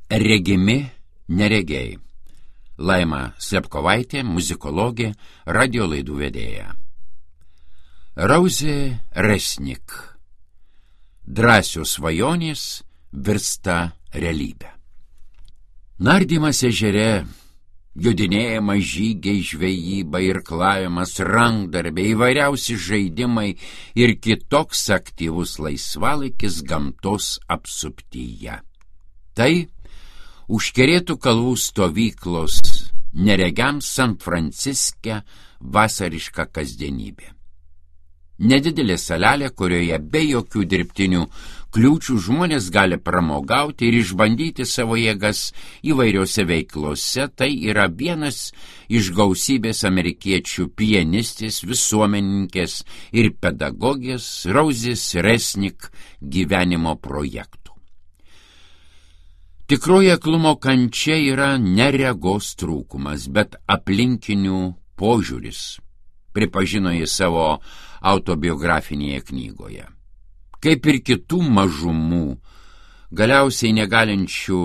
Regimi neregiai. Laima Slepkovaitė, muzikologė, radio laidų vedėja. Rauzė Resnik. Drąsios svajonės virsta realybė. Nardymas ežere, jodinėjimas, žygiai, žvejyba, irklavimas, rankdarbiai, įvairiausi žaidimai ir kitoks aktyvus laisvalaikis gamtos apsuptyje. Tai užkerėtų kalvų stovyklos neregiams San Franciske vasariška kasdienybė. Nedidelė salelė, kurioje be jokių dirbtinių kliūčių žmonės gali pramogauti ir išbandyti savo jėgas įvairiose veiklose, tai yra vienas iš gausybės amerikiečių pianistės, visuomeninkės ir pedagogės Rauzės Resnik gyvenimo projektų. Tikroji aklumo kančia yra ne regos trūkumas, bet aplinkinių požiūris, pripažino jis savo autobiografinėje knygoje. Kaip ir kitų mažumų, galiausiai negalinčių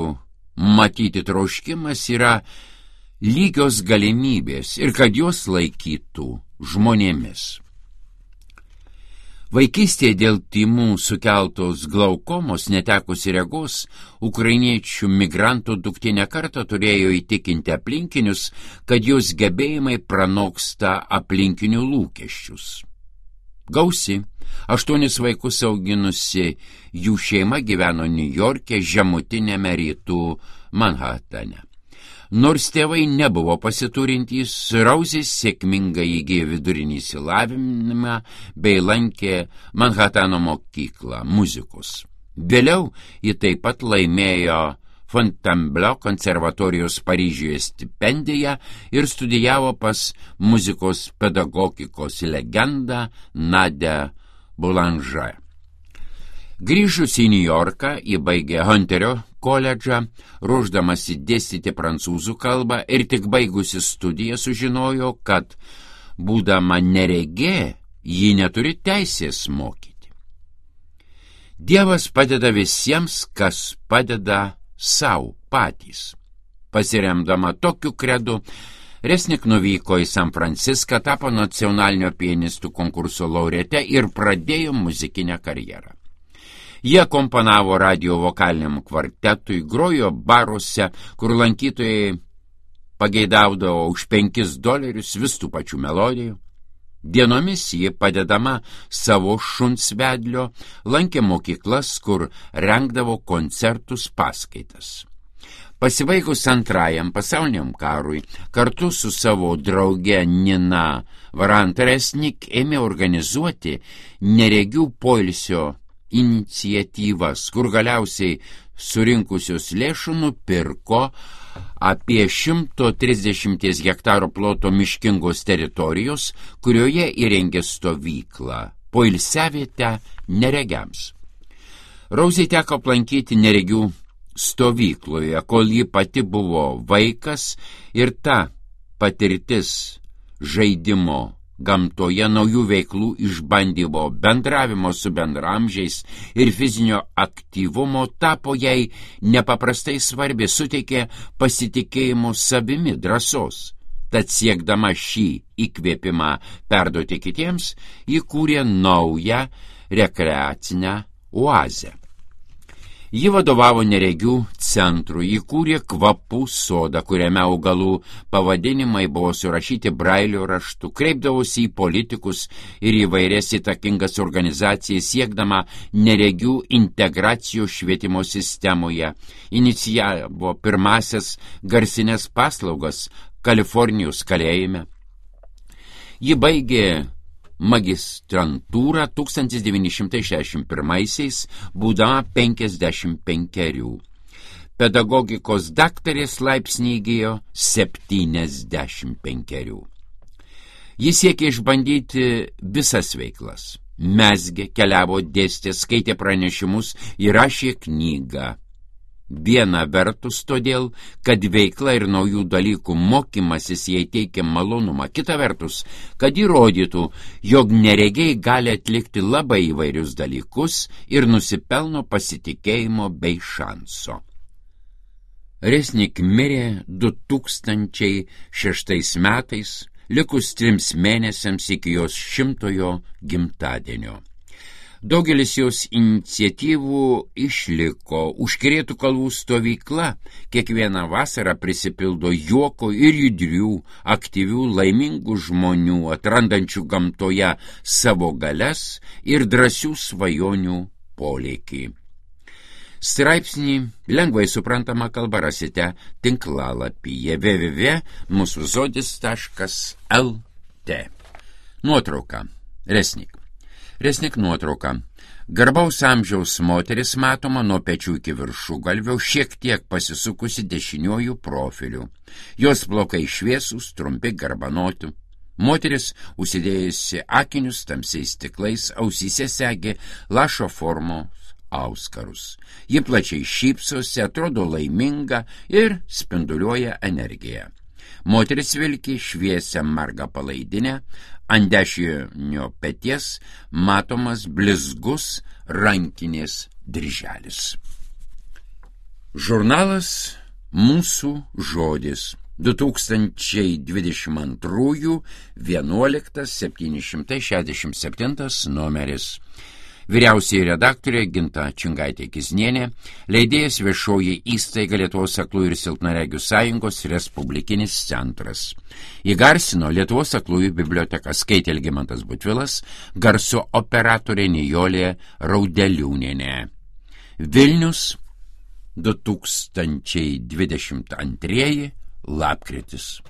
matyti troškimas yra lygios galimybės ir kad jos laikytų žmonėmis. Vaikystėje dėl tymų sukeltos glaukomos netekusi regos, ukrainiečių migrantų duktė ne kartą turėjo įtikinti aplinkinius, kad jos gebėjimai pranoksta aplinkinių lūkesčius. Gausi, 8 vaikus auginusi jų šeima gyveno Niujorke, žemutinėme rytų Manhatane. Nors tėvai nebuvo pasiturintys, Rauzė sėkmingai įgijo vidurinį išsilavinimą bei lankė Manhatano mokyklą muzikos. Vėliau ji taip pat laimėjo Fontainebleau konservatorijos Paryžiuje stipendiją ir studijavo pas muzikos pedagogikos legendą Nadią Boulanger. Grįžus į Niujorką, ji baigė Hunterio koledžą, ruošdamasi dėstyti prancūzų kalbą ir tik baigusi studiją sužinojo, kad, būdama neregė, ji neturi teisės mokyti. Dievas padeda visiems, kas padeda sau patys. Pasiremdama tokiu kredu, Resnik nuvyko į San Franciską, tapo nacionalinio pianistų konkurso laureate ir pradėjo muzikinę karjerą. Jie komponavo radio vokaliniam kvartetui, grojo baruose, kur lankytojai pageidaudavo už $5 vis tų pačių melodijų. Dienomis ji, padedama savo šunsvedlio, lankė mokyklas, kur rengdavo koncertus paskaitas. Pasibaigus antrajam pasauliniam karui, kartu su savo drauge Nina Varant Resnik ėmė organizuoti neregių poilsio iniciatyvas, kur galiausiai surinkusios lėšų nupirko apie 130 hektarų ploto miškingos teritorijos, kurioje įrengė stovyklą, poilsiavietę neregiams. Rauzei teko aplankyti neregių stovykloje, kol ji pati buvo vaikas, ir ta patirtis žaidimo gamtoje, naujų veiklų išbandymo, bendravimo su bendramžiais ir fizinio aktyvumo tapo jai nepaprastai svarbi, suteikė pasitikėjimo savimi, drąsos. Tad siekdama šį įkvėpimą perduoti kitiems, įkūrė naują rekreacinę oazę. Ji vadovavo neregių centrui, įkūrė kvapų sodą, kuriame augalų pavadinimai buvo surašyti brailio raštu, kreipdavosi į politikus ir įvairias įtakingas organizacijas, siekdama neregių integracijos švietimo sistemoje, inicijavo pirmasias garsinės paslaugas Kalifornijos kalėjime. Ji baigė magistrantūrą 1961-aisiais, būdama 55. Pedagogikos daktarės laipsnį įgijo 75. Jis siekė išbandyti visas veiklas. Mezgė, keliavo, dėstė, skaitė pranešimus, įrašė knygą. Viena vertus todėl, kad veikla ir naujų dalykų mokymasis jai teikia malonumą, kita vertus, kad įrodytų, jog neregiai gali atlikti labai įvairius dalykus ir nusipelno pasitikėjimo bei šanso. Resnik mirė 2006 metais, likus 3 mėnesiams iki jos 100-ojo gimtadienio. Daugelis jos iniciatyvų išliko. Užkerėtų kalvų stovykla kiekvieną vasarą prisipildo juoko ir judrių, aktyvių, laimingų žmonių, atrandančių gamtoje savo galias ir drąsių svajonių polėkį. Straipsnį lengvai suprantama kalba rasite tinklalapyje www.musuzodis.lt. Nuotrauka. Resnik nuotrauka. Garbaus amžiaus moteris matoma nuo pečių iki viršugalvio, šiek tiek pasisukusi dešiniuoju profiliu. Jos plaukai šviesūs, trumpi, garbanoti. Moteris užsidėjusi akinius tamsiais stiklais, ausyse segė lašo formos auskarus. Ji plačiai šypsosi, atrodo laiminga ir spinduliuoja energiją. Moteris vilki šviesią margą palaidinę, ant dešinio peties matomas blizgus rankinės dirželis. Žurnalas Mūsų žodis 2022 11 767 numeris. Vyriausioji redaktorė Ginta Čingaitė-Kiznienė, leidėjas Viešoji įstaiga Lietuvos aklųjų ir silpnaregių sąjungos Respublikinis centras. Įgarsino Lietuvos aklųjų biblioteka, skaitė Algimantas Butvilas, garso operatorė Nijolė Raudeliūnienė. Vilnius 2022 lapkritis.